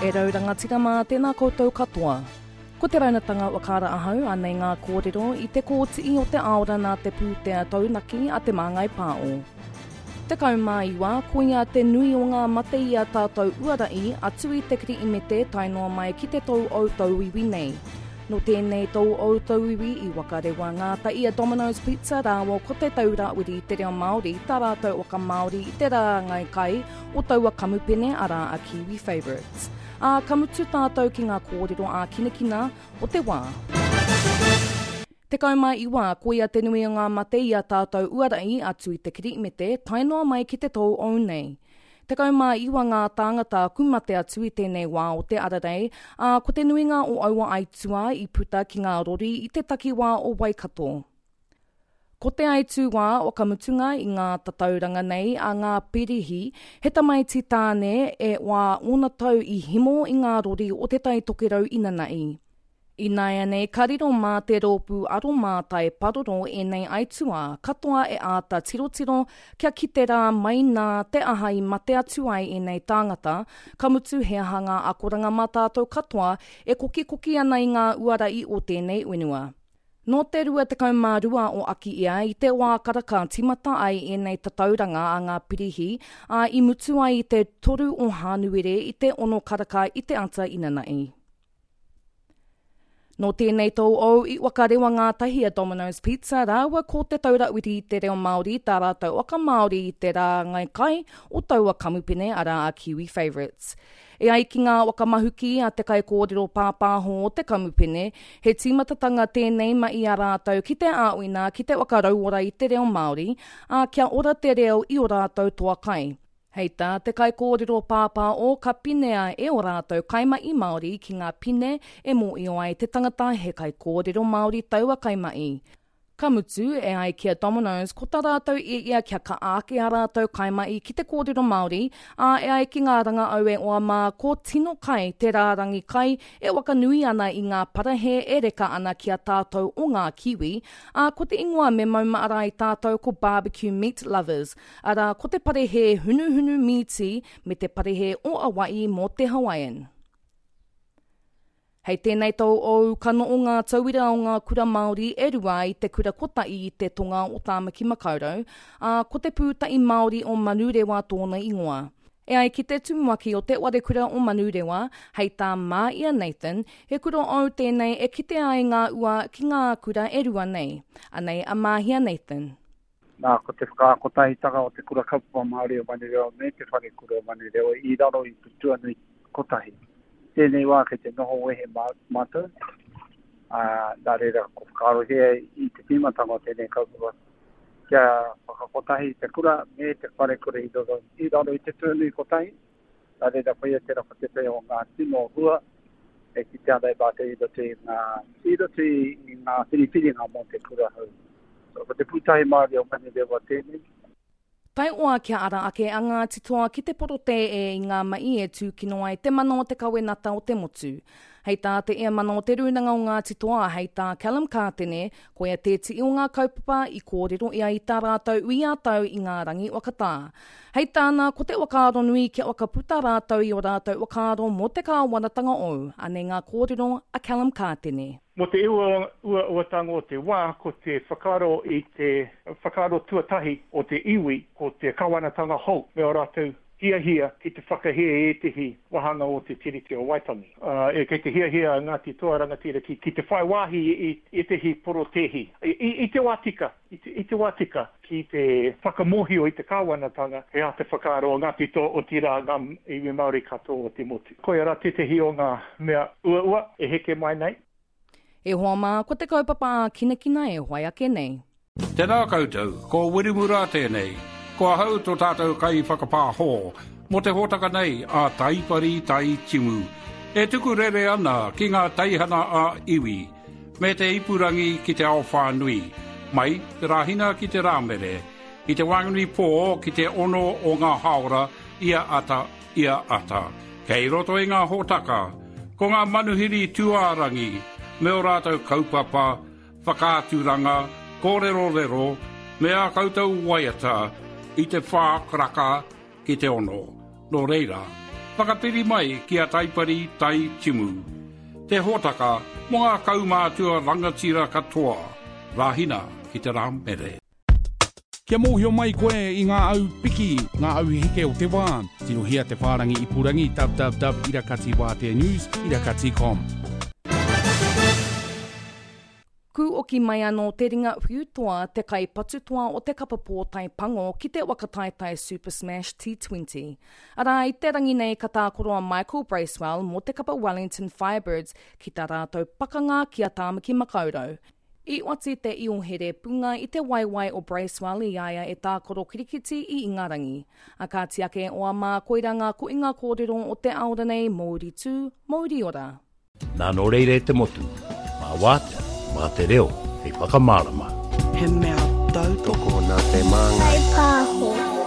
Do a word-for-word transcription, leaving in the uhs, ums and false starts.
E rau rangatira mā, tēnā koutou katoa. Ko te raunatanga whakaara ahau, anei ngā kōrero i te kōtii o te aora nā te pūtea taunaki a Te Māngai Pāo. Tekau mā iwa, koia te nui o ngā mate i a tātou uara'i atu i te Kirihimete tae noa mai ki te tou ou tauiwi nei. Nō tēnei tou ou tauiwi i wakarewa ngātahi a Domino's Pizza rāua ko Te Taura Whiri i te Reo Māori tā rātou waka Māori i te rāngai kai o taua kamupene arā a Kiwi Favourites. Ā, ka mutu tātou ki ngā kōrero ākinakina o te wā. Tekau mā iwa, koia te nui o ngā mate i a tātou uara'i atu i te Kirihimete tae noa mai ki te tou ou nei. Tekau mā iwa ngā tāngata ku mate atu i tēnei wā o te ararei, ā, ko te nuinga o aua aituā i puta ki ngā rori i te takiwā o Waikato. Ko te aituā whakamutunga i ngā tatauranga nei a ngā pirihi, he tamaiti tāne e wā ōna tau i himo i ngā rori o Te Tai Tokerau inanahi. Ināianei ka riro mā te rōpū aromātai paroro ēnei aituā katoa e āta tirotiro kia kite rā mai nā te aha i mate atu ai ēnei tāngata, ka mutu he aha ngā akoranga mā tātou katoa e kokikoki ana i ngā uara i o tēnei whenua. Nō te rua tekau mā rua o Akiia i te wā karaka tīmata ai ēnei tatauranga a ngā pirihi, ā, i mutu ai i te toru o Hānuere i te ono karaka i te ata inanahi. Nō tēnei tou ou i whakarewa ngātahi a Domino's Pizza rāua ko Te Taura Whiri i te Reo Māori tā rātou waka Māori i te rāngai kai o taua kamupene arā a Kiwi Favourites. E ai ki ngā whakamahuki a te kaikōrero pāpāho o te kamupene, he tīmatatanga tēnei mai i a rātou ki te āwhina ki te whakarauora i te reo Māori, ā, kia ora te reo i o rātou toa kai. Hei tā te kaikōrero pāpāo ka pinea e o rātou kaimahi Māori ki ngā pine e mōhio ai te tangata he kaikōrero Māori taua kaimahi. Ka mutu, e ai ki a Domino's, ko tā rātou i ia kia ka ake a rātou kaimahi ki te kōrero Māori, ā, e ai ki ngā rangaau e oa mā, ko tino kai te rārangi kai e wakanui ana i ngā parahe e reka ana ki a tātou o ngā Kiwi, ā, ko te ingoa me maumahara ai tātou ko Barbecue Meat Lovers, arā, ko te parehe hunuhunu mīti me te parehe o Hawaii mō te Hawaiian. Hei tēnei tau ou, ka noho ngā tauira o ngā kura Māori e rua i te kura kotahi i te tonga o Tāmaki Makaurau, ā, ko te pūtahi Māori o Manurewa tōna ingoa. E ai ki te tumuaki o te Warekura o Manurewa, hei tā Māia Nathan, he kura ou tēnei e kite ai ngā ua ki ngā kura e rua nei. Anei a Māhia Nathan. Nā, ko te whakakotahitanga o te kura kaupapa Māori o Manurewa me te wharekura o Manurewa i raro i te tuanui kotahi. Tēnei wā kei te noho wehe mātou, ā, nā reira ko whakaarohia i te tīmatanga o tēnei kaupapa kia whakakotahi te kura me te wharekura i raro, i raro i te tuanui kotahi. Nā reira koia tērā ko tētahi o ngā tino hua e kitea ana e mātou i roto i ngā, i roto i ngā whiriwhiringa mō te kura hou. So, ko te pūtahi Māori o Manurewa tēnei. Taioa kia ara ake a Ngāti Toa ki te porotē e i ngā mahi e tūkino ai te mana o te kawenata o te motu. Hei tā te Eamana o te Rūnanga o Ngāti Toa, hei tā Callum Kātene, koia tētihi o ngā kaupapa i kōrero ia i tā rātou ui ā-tau i ngā rangi whakatā. Hei tāna, ko te whakaaro nui kia whakaputa rātou i ō rātou whakaaro mō te kāwanatanga ou. Anei ngā kōrero a Callum Kātene. Mō te uauatanga o te wā, ko te whakaaro i te whakaaro tuatahi o te iwi, ko te kāwanatanga hou me ō rātou hiahia ki te whakahē ētehi wāhanga o te Tiriti o Waitangi. Ā, kei te hiahia a Ngāti Toa Rangatira ki, ki te whai wāhi i ētehi porotēhi, i, i te wā tika, i te, i te wā tika, ki te whakamōhio i te kāwanatanga he aha te whakaaro o Ngāti Toa, otirā ngā iwi Māori katoa o te motu. Koia rā tētehi o ngā mea uaua e heke mai nei. E hoa mā, ko te kaupapa ākinakina e whai ake nei. Tēnā koutou, ko Wiremu Rā tēnei. Ko ahau tō tātou kai whakapāhō, mō te hōtaka nei a Taipari Tai Timu. E tuku rere ana ki ngā teihana a iwi, me te ipurangi ki te ao whānui, mai te Rāhina ki te Rāmere, i te waenganui pō ki te ono o ngā hāora ia ata, ia ata. Kei roto i ngā hōtaka, ko ngā manuhiri tūārangi, me o rātou kaupapa, whakaaturanga, kōrerorero, me ā koutou waiata i te whā karaka ki te ono. Nō reira, Whakapiri mai ki a Taipari Tai Timu. Te hōtaka mō ngā kaumātua rangatira katoa. Rāhina ki te rā mere. Kia mōhio mai koe i ngā au piki, ngā au heke o te wā. Tirohia te whārangi ipurangi www irakati wātea news irakati com. Kūoki mai anō te ringa whiutoa te kaipatutoa o te kapa pōtae pango ki te waka taetae Super Smash T twenty. Arā i te rangi nei ka tākoro a Michael Bracewell mō te kapa Wellington Firebirds ki tā rātou pakanga ki a Tāmaki Makaurau. I oati te iohere punga i te waiwai o Bracewell i aia e tākoro kirikiti i Ingarangi. A kā tiake o a mā koira ngā koinga kōrero o te aora nei, Mauri tū, Mauri ora. Nā nō reire te motu, mā wātea, mā te reo, hei whakamārama. He mea tautoko nā te māngai. Pāho.